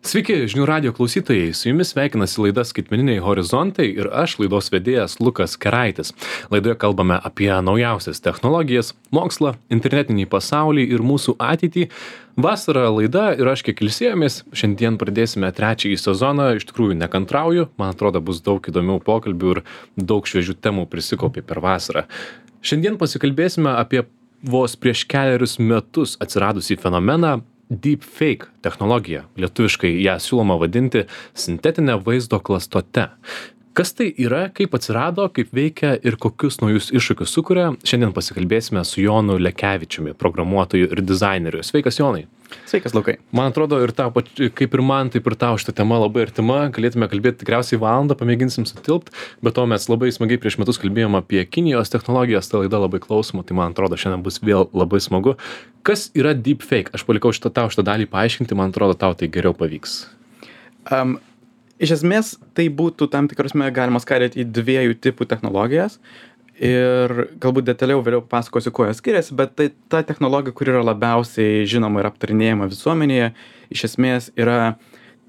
Sveiki, žinių radio klausytojai, su jumis sveikinasi laida Skaitmeniniai horizontai ir aš, laidos vedėjas Lukas Keraitis. Laidoje kalbame apie naujausias technologijas, mokslą, internetinį pasaulį ir mūsų ateitį. Vasara laida ir aš kiek ilsėjomės, šiandien pradėsime trečiąjį sezoną, iš tikrųjų nekantrauju, man atrodo bus daug įdomių pokalbių ir daug šviežių temų prisikaupė per vasarą. Šiandien pasikalbėsime apie vos prieš kelerius metus atsiradusį fenomeną Deepfake technologija. Lietuviškai ją siūloma vadinti sintetinė vaizdo klastote. Kas tai yra, kaip atsirado, kaip veikia ir kokius naujus iššūkius sukuria, šiandien pasikalbėsime su Jonu Lekevičiumi, programuotoju ir dizaineriu. Sveikas, Jonai. Sveikas, Lukai. Man atrodo, ir tau, kaip ir man, taip ir tau šita tema labai artima. Galėtume kalbėti tikriausiai valandą, pamėginsim sutilpt, bet to mes labai smagiai prieš metus kalbėjom apie Kinijos technologijas, ta laida labai klausoma, tai man atrodo, šiandien bus vėl labai smagu. Kas yra deepfake? Aš palikau tau šitą dalį paaiškinti, man atrodo, tau tai geriau pavyks. Iš esmės, tai būtų tam tikrasme galima skaidyti į dviejų tipų technologijas ir galbūt detaliau vėliau pasakosiu, kuo jos skiriasi, bet tai ta technologija, kuri yra labiausiai žinoma ir aptarinėjama visuomenėje, iš esmės yra,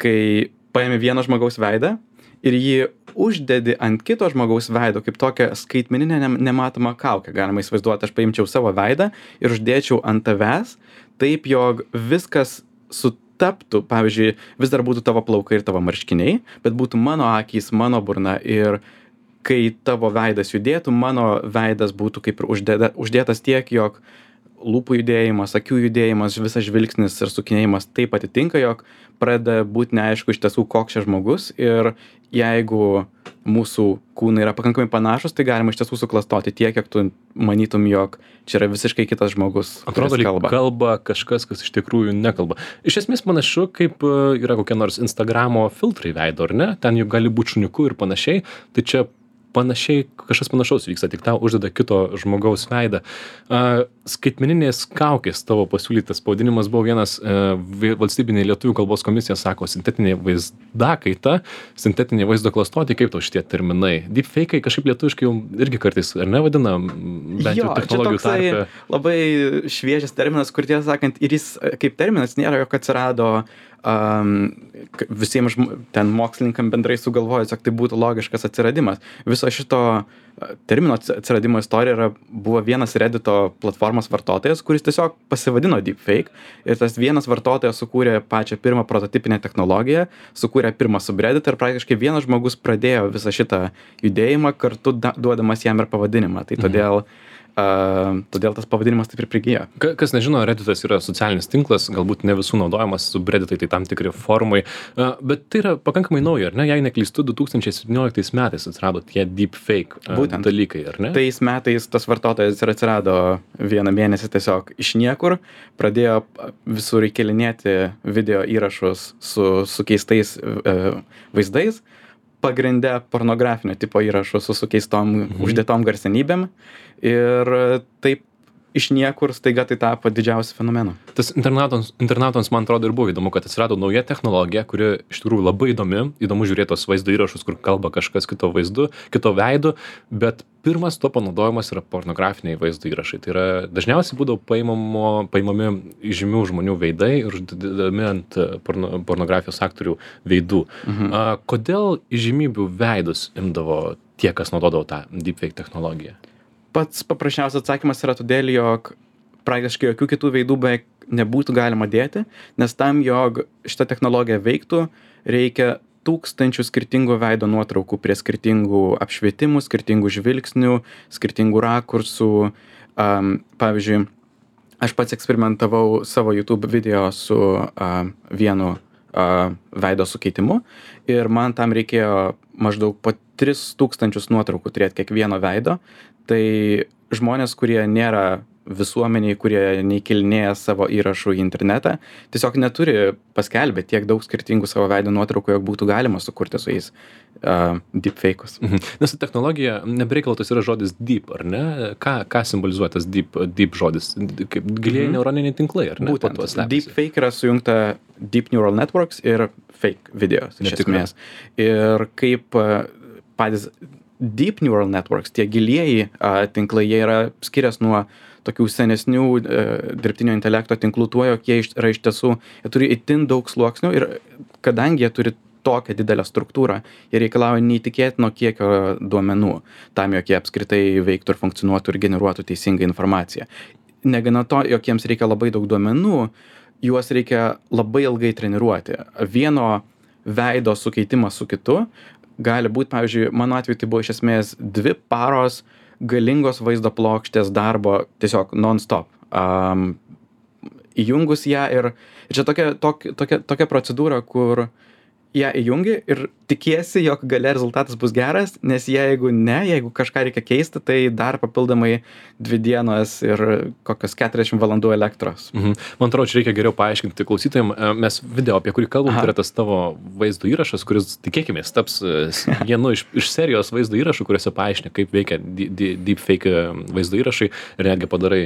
kai paimi vieno žmogaus veidą ir jį uždedi ant kito žmogaus veido kaip tokią skaitmeninę nematomą kaukę. Galima įsivaizduoti, aš paimčiau savo veidą ir uždėčiau ant tavęs taip, jog viskas sutaptų, pavyzdžiui, vis dar būtų tavo plaukai ir tavo marškiniai, bet būtų mano akys, mano burna ir kai tavo veidas judėtų, mano veidas būtų kaip ir uždėtas tiek, jog lūpų judėjimas, akių judėjimas, visas žvilgsnis ir sukinėjimas taip atitinka, jog pradeda būti neaišku iš tiesų, koks čia žmogus ir jeigu mūsų kūnai yra pakankamai panašus, tai galima iš tiesų suklastoti tiek, kiek tu manytum, jog čia yra visiškai kitas žmogus. Atrodo, kalba kažkas, kas iš tikrųjų nekalba. Iš esmės panašu, kaip yra kokie nors Instagramo filtrai veido, ar ne? Ten juk gali būti šuniuku ir panašiai, tai čia panašiai, kažkas panašaus vyksta, tik tau uždeda kito žmogaus veidą. Skaitmeninės kaukės tavo pasiūlytas pavadinimas buvo vienas valstybinė lietuvių kalbos komisija sako sintetinė vaizdakaita, sintetinė vaizdo klastotė, kaip tau šitie terminai. Deepfake'ai kažkaip lietuviškai jau irgi kartais, ar ne vadina, bent jau technologijų tarpe. Labai šviežias terminas, kur tiesą sakant, ir jis kaip terminas nėra, jog atsirado visiems ten mokslininkam bendrai sugalvojus, jog tai būtų logiškas atsiradimas. Viso šito termino atsiradimo istorija buvo vienas Reddito platformos vartotojas, kuris tiesiog pasivadino Deepfake ir tas vienas vartotojas sukūrė pačią pirmą prototipinę technologiją, sukūrė pirmą subredditą ir praktiškai vienas žmogus pradėjo visą šitą judėjimą kartu duodamas jam ir pavadinimą. Tai todėl tas pavadinimas taip ir prigijo. Kas nežino, Redditas yra socialinis tinklas, galbūt ne visų naudojamas, subredditai tai tam tikri forumai, bet tai yra pakankamai nauja, ar ne? Jei neklystu, 2017 metais atsirado tie deepfake dalykai, ar ne? Tais metais tas vartotojas ir atsirado vieną mėnesį tiesiog iš niekur, pradėjo visur įkelinėti video įrašus su keistais vaizdais, pagrinde pornografinio tipo įrašų su sukeistom uždėtom garsenybėm ir taip iš niekur staiga tai tapo didžiausiu fenomenu. Tas internautams man atrodo ir buvo įdomu, kad atsirado nauja technologija, kuri iš tikrųjų labai įdomu žiūrėti tos vaizdo įrašus, kur kalba kažkas kito veidu, bet pirmas to panaudojimas yra pornografiniai vaizdo įrašai. Tai yra dažniausiai būdavo paimami žymių žmonių veidai ir uždedami ant pornografijos aktorių veidų. Kodėl įžymybių veidus imdavo tie, kas naudodavo tą deepfake technologiją? Pats paprasčiausias atsakymas yra todėl, jog praktiškai jokių kitų veidų beveik nebūtų galima dėti, nes tam, jog šita technologija veiktų, reikia tūkstančių skirtingų veido nuotraukų prie skirtingų apšvietimų, skirtingų žvilgsnių, skirtingų rakursų. Pavyzdžiui, aš pats eksperimentavau savo YouTube video su vienu veido sukeitimu ir man tam reikėjo maždaug po 3000 nuotraukų turėti kiekvieno veido. Tai žmonės, kurie nėra visuomeniai, kurie neįkelinėja savo įrašų į internetą, tiesiog neturi paskelbę tiek daug skirtingų savo veido nuotraukų, jog būtų galima sukurti su jais deepfake'us. Nes technologija, nebereikalo tas yra žodis deep, ar ne? Ką simbolizuoja tas deep žodis? Kaip gilieji neuroniniai tinklai, ar ne? Būtent. Deepfake yra sujungta Deep Neural Networks ir fake videos, iš esmės. Ir kaip patys Deep Neural Networks, tie gilieji tinklai, jie yra skiriasi nuo tokių senesnių dirbtinio intelekto tinklų tuo, jog jie yra iš tiesų, jie turi itin daug sluoksnių ir kadangi jie turi tokią didelę struktūrą, jie reikalauja neįtikėtino kiekio duomenų, tam, jog jie apskritai veiktų ir funkcionuotų ir generuotų teisingą informaciją. Negana to, jog jiems reikia labai daug duomenų, juos reikia labai ilgai treniruoti. Vieno veido sukeitimas su kitu gali būti, pavyzdžiui, mano atveju tai buvo iš esmės 2 paros galingos vaizdo plokštės darbo tiesiog non-stop. Įjungus ją ir čia tokia procedūra, kur ją įjungi ir tikiesi, jog gale rezultatas bus geras, nes jeigu kažką reikia keisti, tai dar papildomai 2 dienos ir kokios 40 valandų elektros. Man atrodo, čia reikia geriau paaiškinti klausytojams. Mes video, apie kurį kalbam, tai yra tas tavo vaizdo įrašas, kuris, tikėkimės, taps vienu iš serijos vaizdo įrašų, kuriuose paaiškini, kaip veikia deepfake vaizdo įrašai ir netgi padarai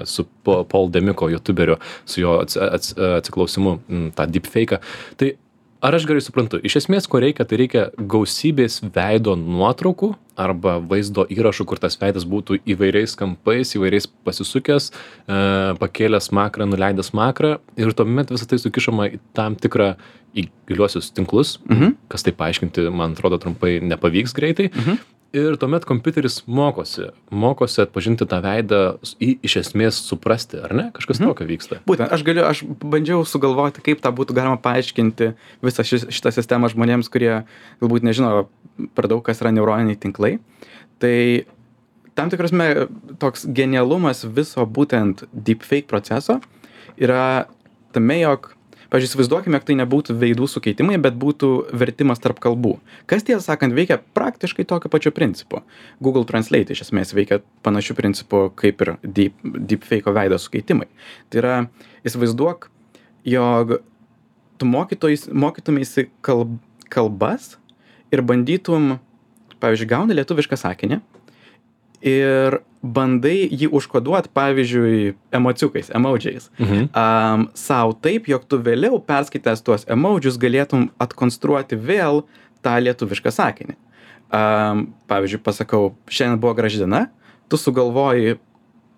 su Paul Demiko, youtuberiu, su jo atsiklausimu tą deepfake'ą. Tai ar aš gerai suprantu, iš esmės, ko reikia, tai reikia gausybės veido nuotraukų arba vaizdo įrašų, kur tas veidas būtų įvairiais kampais, įvairiais pasisukęs, pakėlęs makrą, nuleidęs makrą ir tuomet visą tai sukišama į tam tikrą į giliuosius tinklus, kas tai paaiškinti, man atrodo, trumpai nepavyks greitai. Ir tuomet kompiuteris mokosi atpažinti tą veidą, iš esmės suprasti, ar ne? Kažkas tokio vyksta. Būtent, aš bandžiau sugalvoti, kaip tą būtų galima paaiškinti visą šitą sistemą žmonėms, kurie galbūt nežino per daug, kas yra neuroniniai tinklai. Tai tam tikrasme toks genialumas viso būtent deepfake proceso yra tame, jog pavyzdžiui, įsivaizduokime, jog tai nebūtų veidų sukeitimai, bet būtų vertimas tarp kalbų. Kas tiesą sakant veikia praktiškai tokio pačio principu. Google Translate iš esmės veikia panašių principų kaip ir deepfake'o veido sukeitimai. Tai yra, įsivaizduok, jog tu mokytumeisi kalbas ir bandytum, pavyzdžiui, gauni lietuvišką sakinį ir bandai jį užkoduot, pavyzdžiui, emociukais, emodžiais. Sau taip, jog tu vėliau perskaitęs tuos emodžius galėtum atkonstruoti vėl tą lietuvišką sakinį. Pavyzdžiui, pasakau, šiandien buvo graži diena, tu sugalvoji,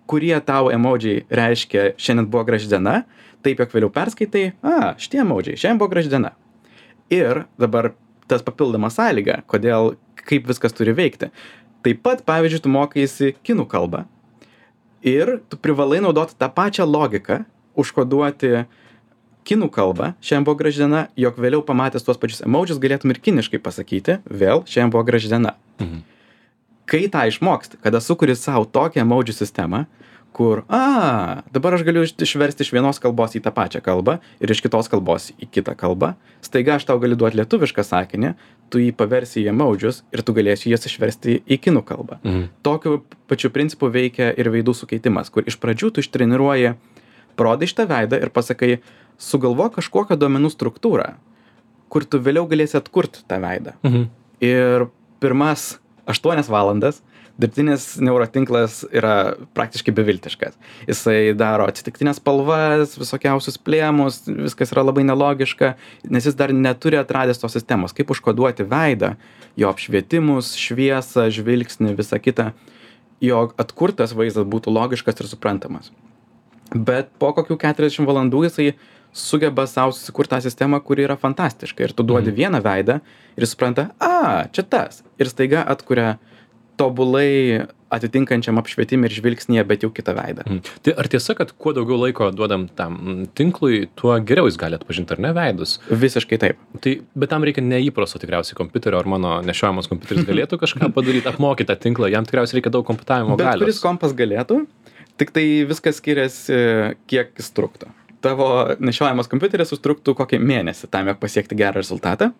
kurie tau emodžiai reiškia šiandien buvo graži diena, taip, jog vėliau perskaitai, šitie emodžiai, šiandien buvo graži diena. Ir dabar tas papildoma sąlyga, kaip viskas turi veikti. Taip pat, pavyzdžiui, tu mokaisi kinų kalbą ir tu privalai naudoti tą pačią logiką, užkoduoti kinų kalbą, šiandien buvo graži diena, jog vėliau pamatęs tuos pačius emodžius galėtum ir kiniškai pasakyti, vėl šiandien buvo graži diena. Kai tą išmoksti, kada sukuri savo tokią emodžių sistemą, kur, dabar aš galiu išversti iš vienos kalbos į tą pačią kalbą ir iš kitos kalbos į kitą kalbą, staiga aš tau galiu duoti lietuvišką sakinį, tu jį paversi į emodžius ir tu galėsi jas išversti į kinų kalbą. Tokiu pačiu principu veikia ir veidų sukeitimas, kur iš pradžių tu ištreniruoji, parodai šitą veidą ir pasakai, sugalvok kažkokią duomenų struktūrą, kur tu vėliau galėsi atkurti tą veidą. Ir pirmas 8 valandas dirbtinis neurotinklas yra praktiškai beviltiškas. Jisai daro atsitiktinės spalvas, visokiausius plėmus, viskas yra labai nelogiška, nes jis dar neturi atradęs tos sistemos, kaip užkoduoti veidą, jo apšvietimus, šviesą, žvilgsnį, visą kitą, jog atkurtas vaizdas būtų logiškas ir suprantamas. Bet po kokių 40 valandų jisai sugeba savo susikurti tą sistemą, kuri yra fantastiška. Ir tu duodi vieną veidą ir supranta, čia tas. Ir staiga atkuria tobulai atitinkančiam apšvietimui ir žvilgsnyje, bet jau kitą veidą. Tai ar tiesa, kad kuo daugiau laiko duodam tam tinklui, tuo geriau jis gali atpažinti, ar ne, veidus? Visiškai taip. Bet tam reikia neįprasto tikriausiai kompiuterio, ar mano nešiojamas kompiuteris galėtų kažką padaryti, apmokyti tą tinklą, jam tikriausiai reikia daug komputavimo galios. Bet kuris kompas galėtų, tik tai viskas skiriasi, kiek jis truktų. Tavo nešiojamas kompiuteris užtruktų kokį mėnesį tam, jog pasiekti gerą rezultatą.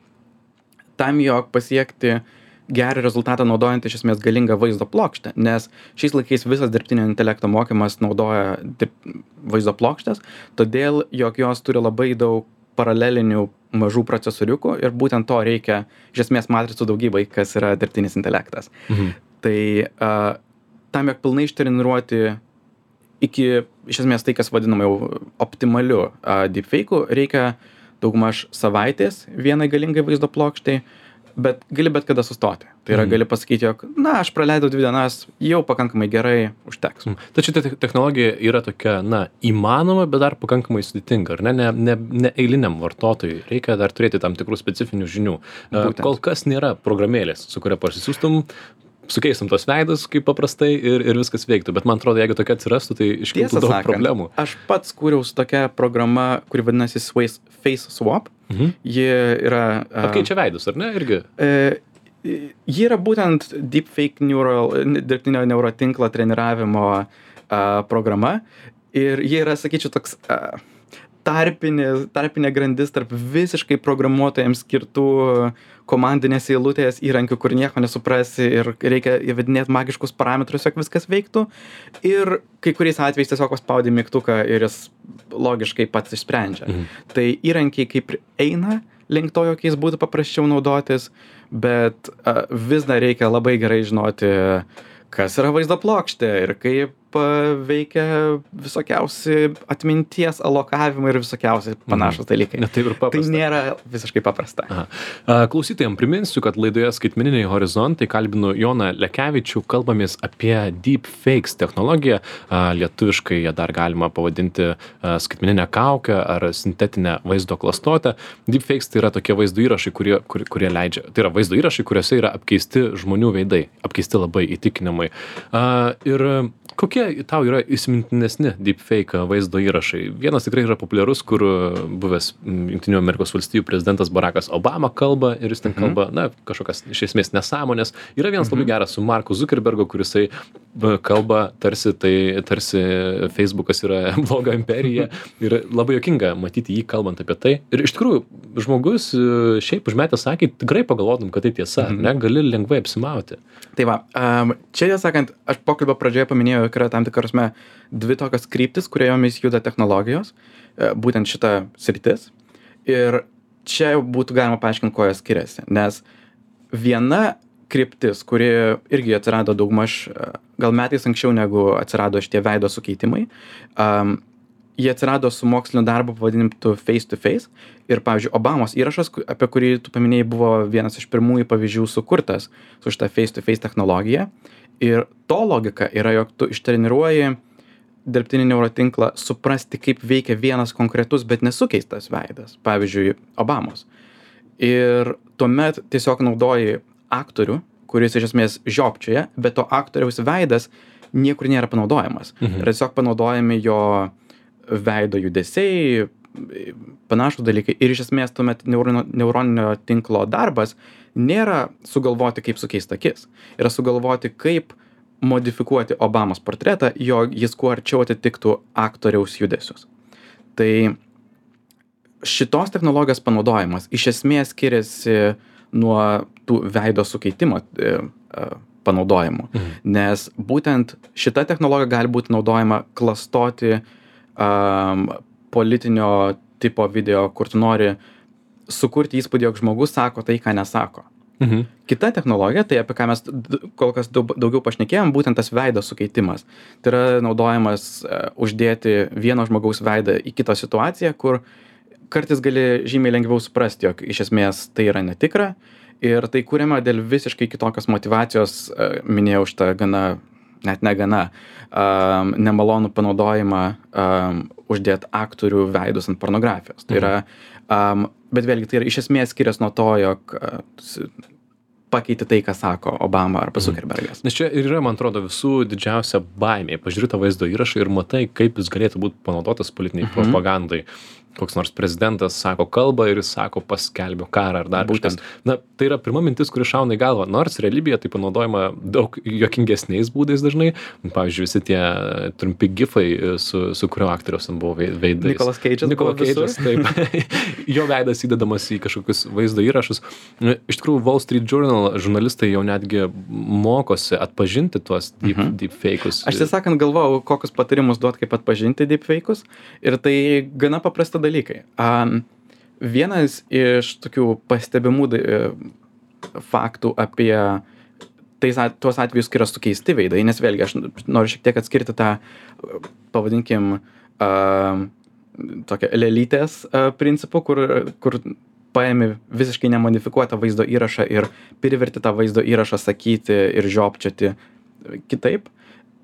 Tam, jog pasiekti gerą rezultatą naudojant iš esmės galingą vaizdo plokštę, nes šiais laikais visas dirbtinio intelekto mokymas naudoja vaizdo plokštės, todėl, jog jos turi labai daug paralelinių mažų procesoriukų ir būtent to reikia iš esmės matricų daugybai, kas yra dirbtinis intelektas. Tai tam, jog pilnai ištreniruoti iki iš esmės tai, kas vadinama jau optimaliu deepfake'u, reikia daugmaž savaitės vienai galingai vaizdo plokštai, bet gali bet kada sustoti. Tai yra, gali pasakyti, jog, na, aš praleidau 2 dienas, jau pakankamai gerai užteks. Tačiau ta technologija yra tokia, na, įmanoma, bet dar pakankamai sudėtinga, ar ne? Ne eiliniam vartotojui. Reikia dar turėti tam tikrų specifinių žinių. Kol kas nėra programėlės, su kuria parsisiųstum, sukeistum tos veidus kaip paprastai ir viskas veiktų. Bet man atrodo, jeigu tokia atsirastų, tai iškiltų daug problemų. Aš pats kūriau su tokia programa, kuri vadinasi Face Swap. Ji yra... Pakeičia veidus, ar ne? Irgi? Ji yra būtent deepfake dirbtinio neurotinklo treniravimo programa. Ir ji yra, sakyčiau, toks... tarpinė grandis tarp visiškai programuotojams skirtų komandinės eilutės įrankių, kur nieko nesuprasi ir reikia įvedinėti magiškus parametrus, jog viskas veiktų. Ir kai kuriais atvejais tiesiog paspaudi mygtuką ir jis logiškai pats išsprendžia. Tai įrankiai kaip eina link to, jog jis būtų paprasčiau naudotis, bet vis dar reikia labai gerai žinoti, kas yra vaizdo plokštė ir kaip veikia visokiausi atminties alokavimai ir visokiausi panašūs dalykai. Taip ir paprasta. Tai nėra visiškai paprasta. Klausytojams priminsiu, kad laidoje Skaitmeniniai horizontai kalbinu Joną Lekevičių, kalbamės apie deepfakes technologiją. Lietuviškai ją dar galima pavadinti skaitmeninę kaukę ar sintetinę vaizdo klastotę. Deepfakes tai yra tokie vaizdo įrašai, kurie leidžia. Tai yra vaizdo įrašai, kuriuose yra apkeisti žmonių veidai, apkeisti labai įtikinamai. Ir kokie tau yra įsimintinesni deepfake vaizdo įrašai? Vienas tikrai yra populiarus, kur buvęs Jungtinių Amerikos valstijų prezidentas Barackas Obama kalba ir jis ten kalba, na, kažkokias iš esmės nesąmonės. Yra vienas labai geras su Marku Zuckerbergu, kurisai kalba tarsi Facebookas yra bloga imperija ir labai juokinga matyti jį kalbant apie tai. Ir iš tikrųjų, žmogus šiaip užmetęs akį, tikrai pagalvotum, kad tai tiesa, ne, gali lengvai apsimauti. Tai va, čia sakant, aš pokalbio pradžioje paminėjau, kad yra tam tikrasme 2 tokios kryptis, kuriomis juda technologijos, būtent šita sritis. Ir čia būtų galima paaiškinti, kuo jos skiriasi. Nes viena kryptis, kuri irgi atsirado daugmaž gal metais anksčiau negu atsirado šitie veido sukeitimai, jie atsirado su mokslinio darbu pavadinimtu Face to Face. Ir, pavyzdžiui, Obamos įrašas, apie kurį tu paminėjai, buvo vienas iš pirmųjų pavyzdžių sukurtas su šitą Face to Face technologija. Ir to logika yra, jog tu ištreniruoji dirbtinį neurotinklą suprasti, kaip veikia vienas konkretus, bet nesukeistas veidas. Pavyzdžiui, Obamos. Ir tuomet tiesiog naudoji aktorių, kuris iš esmės žiopčioja, bet to aktoriaus veidas niekur nėra panaudojamas. Ir tiesiog panaudojami jo veido judesiai, panašūs dalykai. Ir iš esmės tuomet neuroninio tinklo darbas nėra sugalvoti, kaip sukeist akis. Yra sugalvoti, kaip modifikuoti Obamos portretą, jog jis kuo arčiau atitiktų aktoriaus judesius. Tai šitos technologijos panaudojimas iš esmės skiriasi nuo tų veido sukeitimo panaudojimų. Nes būtent šita technologija gali būti naudojama klastoti politinio tipo video, kur tu nori sukurti įspūdį, jog žmogus sako tai, ką nesako. Kita technologija, tai apie ką mes kol kas daugiau pašnekėjom, būtent tas veido sukeitimas. Tai yra naudojamas uždėti vieno žmogaus veidą į kitą situaciją, kur kartais gali žymiai lengviau suprasti, jog iš esmės tai yra netikra. Ir tai kuriama dėl visiškai kitokios motyvacijos, minėjau šitą nemalonų panaudojimą uždėti aktorių veidus ant pornografijos. Tai yra, bet vėlgi tai yra iš esmės skiriasi nuo to, jog pakeiti tai, ką sako Obama arba Zuckerbergas. Nes čia ir yra, man atrodo, visų didžiausia baimė. Pažiūrėti tą vaizdo įrašą ir matai, kaip jis galėtų būti panaudotas politiniai propagandai. Koks nors prezidentas sako kalbą ir jis sako paskelbio karą ar dar kažkas. Na, tai yra pirma mintis, kuri šauna į galvą. Nors realybėje tai panaudojama daug juokingesniais būdais dažnai. Pavyzdžiui, visi tie trumpi gifai, su kurio aktoriaus buvo veidais. Nicolas Cage'as, taip. Jo veidas įdedamas į kažkokius vaizdo įrašus. Iš tikrųjų, Wall Street Journal žurnalistai jau netgi mokosi atpažinti tuos deepfake'us. Aš tiesąkant galvojau, kokius patarimus duot, kaip atpažinti deepfake'us. Ir tai gana paprasta dalykai. Vienas iš tokių pastebimų faktų apie tuos atvejus, kai yra sukeisti veidai, nes vėlgi aš noriu šiek tiek atskirti tą, pavadinkim, tokią lelytės principų, kur paėmi visiškai nemodifikuotą vaizdo įrašą ir priverti tą vaizdo įrašą sakyti ir žiopčioti kitaip.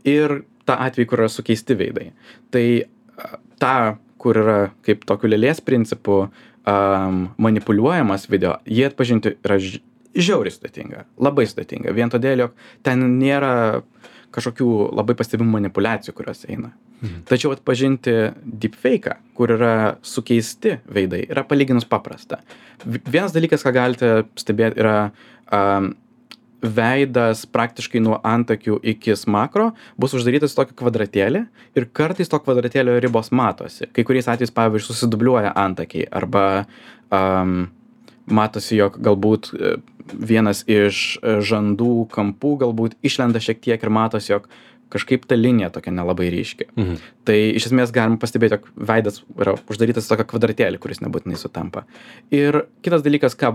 Ir tą atvejį, kur yra sukeisti veidai. Tai tą, kur yra kaip tokiu lėlės principu manipuliuojamas video, jį atpažinti yra žiauriai sudėtinga, labai sudėtinga. Vien todėl, jog ten nėra kažkokių labai pastebimų manipuliacijų, kurios eina. Tačiau atpažinti deepfake'ą, kur yra sukeisti veidai, yra palyginus paprasta. Vienas dalykas, ką galite stebėti, yra veidas praktiškai nuo antakių iki smakro bus uždarytas į tokį kvadratėlį ir kartais to kvadratėlio ribos matosi. Kai kuriais atvejais, pavyzdžiui, susidubliuoja antakiai arba matosi, jog galbūt vienas iš žandų kampų galbūt išlenda šiek tiek ir matosi, jog kažkaip ta linija tokia nelabai ryški. Tai iš esmės galim pastebėti, jog veidas yra uždarytas į tokią kvadratėlį, kuris nebūtinai sutampa. Ir kitas dalykas, ką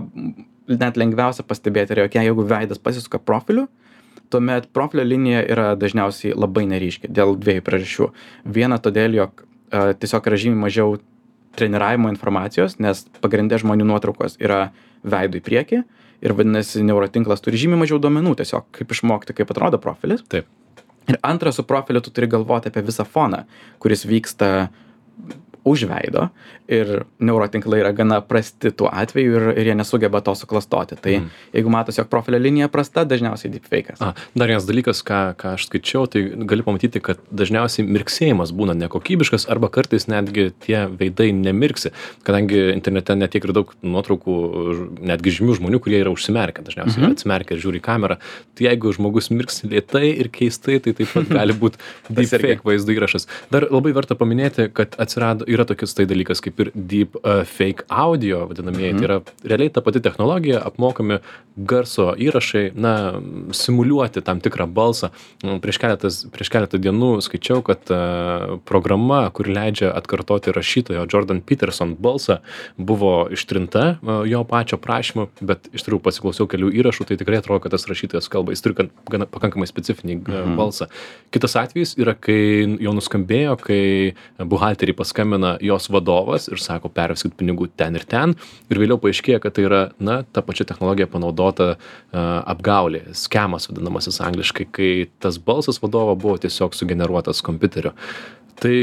net lengviausia pastebėti, yra, jog jeigu veidas pasisuka profiliu, tuomet profilio linija yra dažniausiai labai neryški dėl dviejų priežasčių. Viena todėl, jog tiesiog yra žymiai mažiau treniravimo informacijos, nes pagrindė žmonių nuotraukos yra veidu į priekį ir vadinasi, neurotinklas turi žymiai mažiau duomenų tiesiog, kaip išmokti, kaip atrodo profilis. Taip. Ir antra, su profiliu tu turi galvoti apie visą foną, kuris vyksta už veido ir neurotinklai yra gana prasti tuo atveju ir jie nesugeba to suklastoti. Tai jeigu matosi, jog profilio linija prasta, dažniausiai deepfake'as. Dar vienas dalykas, ką aš skaičiau, tai gali pamatyti, kad dažniausiai mirksėjimas būna nekokybiškas arba kartais netgi tie veidai nemirksi, kadangi internete netiek ir daug nuotraukų, netgi žymių žmonių, kurie yra užsimerkę, dažniausiai atsimerkę ir žiūri į kamerą. Tai jeigu žmogus mirksi lėtai ir keistai, tai taip pat gali būti deepfake vaizdo įrašas. Dar labai verta paminėti, kad yra tokius tai dalykas kaip ir deep fake audio vadinamieji. Tai yra realiai ta pati technologija, apmokami garso įrašai, simuliuoti tam tikrą balsą. Prieš keletą dienų skaičiau, kad programa, kuri leidžia atkartoti rašytojo Jordan Peterson balsą, buvo ištrinta jo pačio prašymu, bet iš tikrųjų pasiklausiau kelių įrašų, tai tikrai atrodo, kad tas rašytojas kalba, jis turi gana pakankamai specifinį balsą. Kitas atvejis yra, kai jau nuskambėjo, kai buhalteriai paskambina jos vadovas ir sako, perveskit pinigų ten ir vėliau paaiškėja, kad tai yra, ta pačia technologija panaudota apgaulė, skemas vadinamasis angliškai, kai tas balsas vadovo buvo tiesiog sugeneruotas kompiuteriu. Tai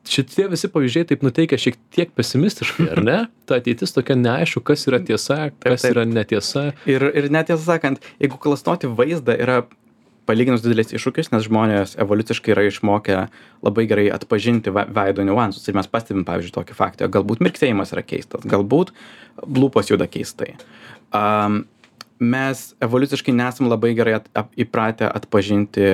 šitie visi pavyzdžiai taip nuteikia šiek tiek pesimistiškai, ar ne? Ta ateitis tokia neaišku, kas yra tiesa, kas yra netiesa. Ir netiesą sakant, jeigu klastoti vaizdą yra palyginus didelis iššūkis, nes žmonės evoliuciškai yra išmokę labai gerai atpažinti veido niuansus. Ir mes pastebim, pavyzdžiui, tokį faktą, galbūt mirksėjimas yra keistas, galbūt lūpos juda keistai. Mes evoliuciškai nesam labai gerai įpratę atpažinti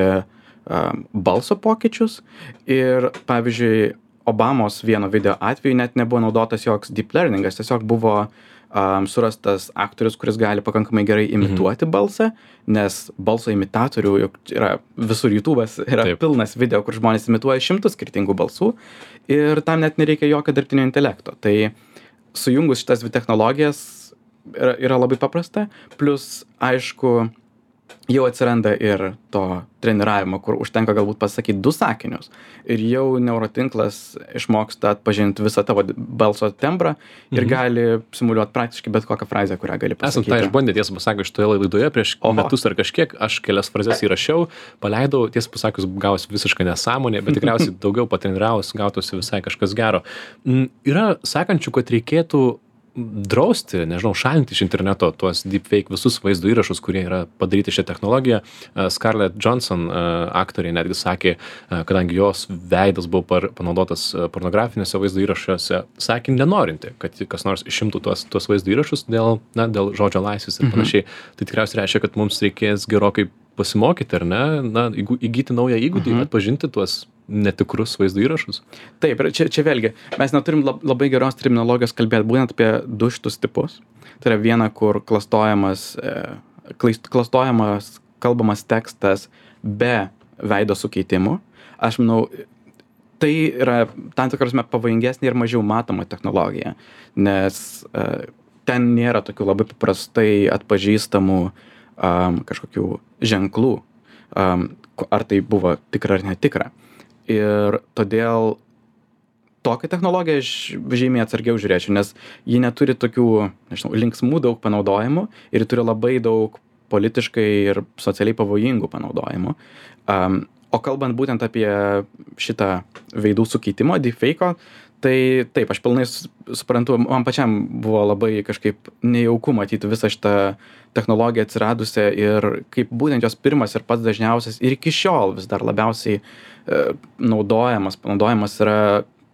balso pokyčius. Ir, pavyzdžiui, Obamos vieno video atveju net nebuvo naudotas joks deep learningas, tiesiog buvo surastas aktorius, kuris gali pakankamai gerai imituoti balsą, nes balso imitatorių yra visur YouTube'as, yra pilnas video, kur žmonės imituoja 100 skirtingų balsų ir tam net nereikia jokio dirbtinio intelekto. Tai sujungus šitas dvi technologijas yra labai paprasta, plus aišku, jau atsiranda ir to treniravimo, kur užtenka galbūt pasakyti 2 sakinius ir jau neurotinklas išmoksta atpažinti visą tavo balso tembrą ir gali simuliuoti praktiškai bet kokią frazę, kurią gali pasakyti. Esam tą išbandę, tiesą pasakius, šitoje laidoje prieš metus ar kažkiek, aš kelias frazes įrašiau, paleidau, tiesą pasakius, gausi visiškai nesąmonė, bet tikriausiai daugiau patreniravus, gautųsi visai kažkas gero. Yra sakančių, kad reikėtų drausti, nežinau, šalinti iš interneto tuos deepfake visus vaizdo įrašus, kurie yra padaryti šią technologiją. Scarlett Johansson aktorė netgi sakė, kadangi jos veidas buvo panaudotas pornografinėse vaizdo įrašuose, sakė nenorinti, kad kas nors išimtų tuos vaizdo įrašus dėl žodžio laisvės ir panašiai. Tai tikriausiai reiškia, kad mums reikės gerokai pasimokyti, ar ne? Įgyti naują įgūdį, atpažinti tuos netikrus vaizdo įrašus. Taip, ir čia vėlgi, mes neturim labai geros terminologijos kalbėti būtent apie 2 šitus tipus. Tai yra viena, kur klastojamas kalbamas tekstas be veido sukeitimų. Aš manau, tai yra tam tikra prasme pavojingesnė ir mažiau matoma technologija, nes ten nėra tokių labai paprastai atpažįstamų kažkokių ženklų, ar tai buvo tikra ar netikra. Ir todėl tokią technologiją aš žymiai atsargiau žiūrėčiau, nes ji neturi tokių, nežinau, linksmų daug panaudojimų ir turi labai daug politiškai ir socialiai pavojingų panaudojimų. O kalbant būtent apie šitą veidų sukeitimo, deepfake'o, tai taip, aš pilnai suprantu, man pačiam buvo labai kažkaip nejauku matyti visą šitą technologiją atsiradusią ir kaip būtent jos pirmas ir pats dažniausias ir iki šiol vis dar labiausiai panaudojamas yra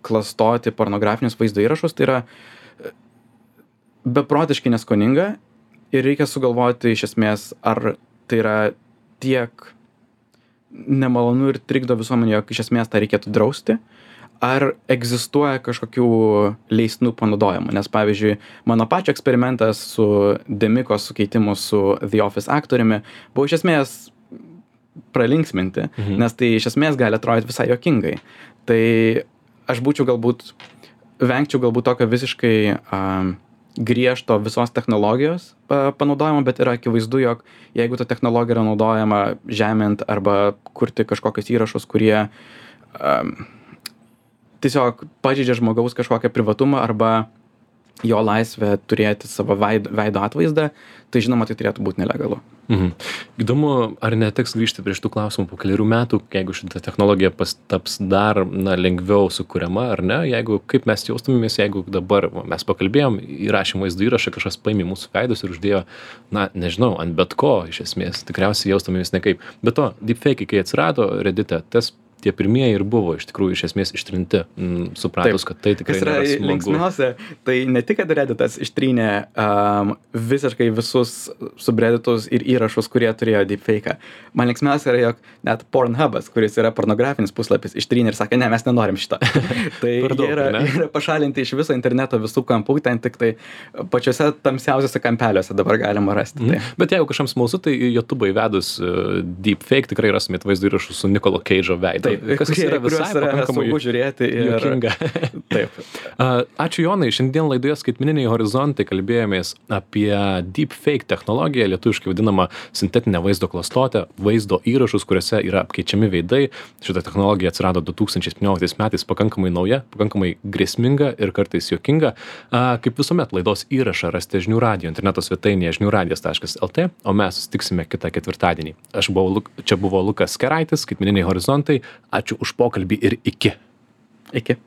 klastoti pornografinius vaizdo įrašus, tai yra beprotiškai neskoninga ir reikia sugalvoti iš esmės, ar tai yra tiek nemalonu ir trikdo visuomenė, jog iš esmės tą reikėtų drausti, ar egzistuoja kažkokių leistinų panaudojimų. Nes pavyzdžiui, mano pačio eksperimentas su Demikos sukeitimu su The Office aktoriumi buvo iš esmės pralinksminti, nes tai iš esmės gali atrodyti visai juokingai. Tai aš vengčiau galbūt tokio visiškai griežto visos technologijos panaudojimo, bet yra akivaizdu, jog jeigu ta technologija yra naudojama žemint arba kurti kažkokius įrašus, kurie tiesiog pažeidžia žmogaus kažkokią privatumą arba jo laisvę turėti savo veido atvaizdą, tai žinoma, tai turėtų būti nelegalu. Įdomu, ar neteks grįžti prie šitų klausimų po kelių metų, jeigu šita technologija taps dar lengviau sukuriama, ar ne? Jeigu, kaip mes jaustumėmės, jeigu dabar mes pakalbėjom, įrašėm vaizdo įrašą, kažkas paėmė mūsų veidus ir uždėjo, nežinau, ant bet ko, iš esmės, tikriausiai jaustumėmės nekaip. Be to, deepfake, kai atsirado Reddit'e, tie pirmieji ir buvo iš tikrųjų iš esmės ištrinti, supratus, kad tai tikrai nėra smagu. Kas yra linksmiausia, tai ne tik, kad Redditas ištrynė visiškai visus subredditus ir įrašus, kurie turėjo deepfake'ą. Man linksmiausia yra, jog net Pornhubas, kuris yra pornografinis puslapis, ištrynė ir sakė, ne, mes nenorim šito. Tai jie yra pašalinti iš viso interneto visų kampų, ten tik tai pačiuose tamsiausiuose kampeliuose dabar galima rasti. Tai. Bet jeigu kažkam smalsu, tai YouTube'ą įvedus deepfake tikrai rastumėt vaizdo įrašus su Nicolo Cage'o veidu. Kas yra visai pakankamai žiūrėti ir juokinga. Taip. Ačiū Jonai, šiandien laidoje Skaitmeniniai horizontai kalbėjomės apie deepfake technologiją, lietuviškai vadinamą sintetinę vaizdo klastotę, vaizdo įrašus, kuriuose yra apkeičiami veidai. Šita technologija atsirado 2017 metais, pakankamai nauja, pakankamai grėsminga ir kartais juokinga. Kaip visuomet, laidos įrašą rasite žinių radijo interneto svetainėje žiniųradijas.lt, o mes susitiksime kitą ketvirtadienį. Čia buvo Lukas Keraitis, Skaitmeniniai horizontai. Ačiū už pokalbį ir iki. Iki.